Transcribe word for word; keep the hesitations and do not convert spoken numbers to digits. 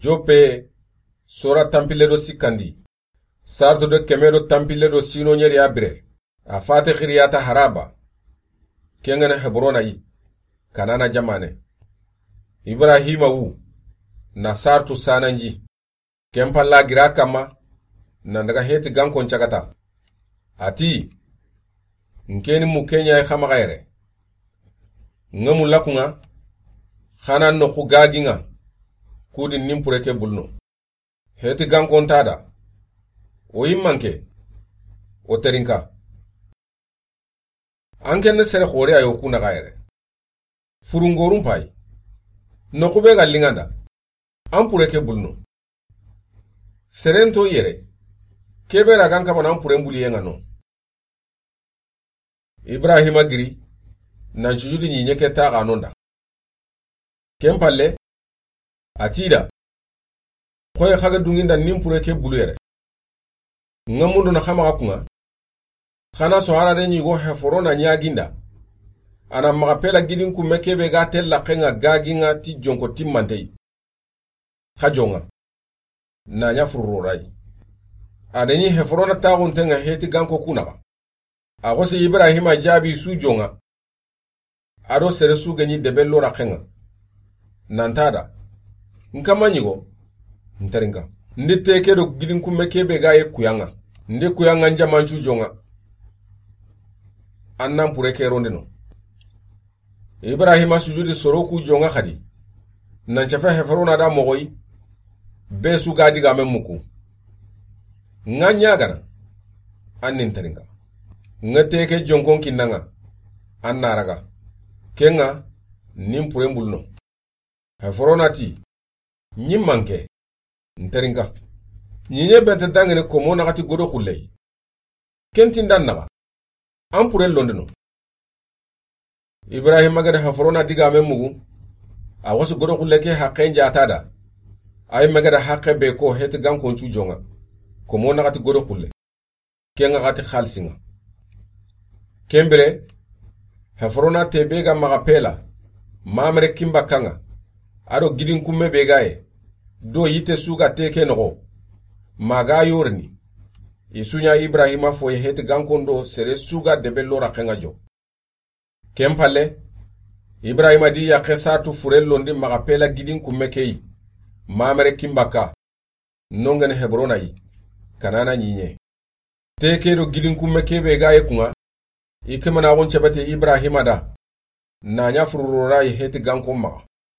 Joppe, sora tanpille do sikkandi. Sarto do keme do tanpille do sino ɲeri ya bire. A fate xiriyata haraba. Kengene Hebrona yi. Kanana jamane. Ibrahima wu. Na sartu sananji. Ken palla gira kamma. Nan daga heti gankon cagata. Ati. Nkeni mu kenya e xamaxa yere. Nga mu lakunga. Xana noxu gaginga. Kudi nimpure ke bulno. Heti gankon tada. O yimmanke. O terinka. An kenne sere xore ayo ku naxa yere. Furungorum pay. Noxu be ga linganda. An pure ke bulno. Serento yere. Kebe ra gan kamana an pure mbuli yenga no. Ibrahima giri. Nan sujudi ɲiɲe ke taxa nonda. Ken palle. A tida. Xoye xaga dunginda nimpure ke bulu yere. Nga mundo na xamaxa kunga. Xana so harade ɲigo Heforona ɲaginda. Ana maxa pela gidin kumme kebe ga tella xenga gaginga ti jonko timmantei. Xa jonga. Na ɲa fururo rai. A da ɲi Heforona taxuntenga heti ganko kunaxa. A xosi Ibrahima jabi su jonga. Ado sere su ga ɲi debe lora xenga. Nantada. Nkama ɲigo. Nterinka. Ndi teke do gidin kumme kebe ga ye kuyanga. Ndi kuyanga njamancu jonga. Annan pure ke rondeno. Ibrahima sujudi soro ku jonga xadi. Nan cafe Heforona da moxoyi. Be su ga diga men muku. Nga ɲagana. An nin terinka. Nga teke jonkon kinnanga. An na raga. Kenga. Nin pure mbulno. Heforona ti. Ɲimmanke. Nterinka. Ɲiɲe bente dangene komo naxati godo xulley. Kentindan naxa. An pure londeno. Ibrahima gada Heforona diga men mugu. A wasu godo xulle ke haqe njata da. Ay megada haqe be ko heti gankon cu jonga. Komo naxati godo xulle. Kenga xati xalisinga. Kembire, Heforona te be ga maxa pela, mamere kimba kanga, ado gidin kumme be ga ye, do yite su ga teke noxo, maga yorini, i su ɲa Ibrahima foye heti gankon do sere su ga debe lora xenga jo. Ken palle, Ibrahima di yaxe satu fure londi maxa pela gidin kumme keyi, mamere kimba ka, nongene Hebrona yi, Kanana ɲiɲe. Teke do gidin kumme kebe ga ye kunga, i kemanaxun cebete Ibrahima da, na ɲa fururora yi heti gankon maxa.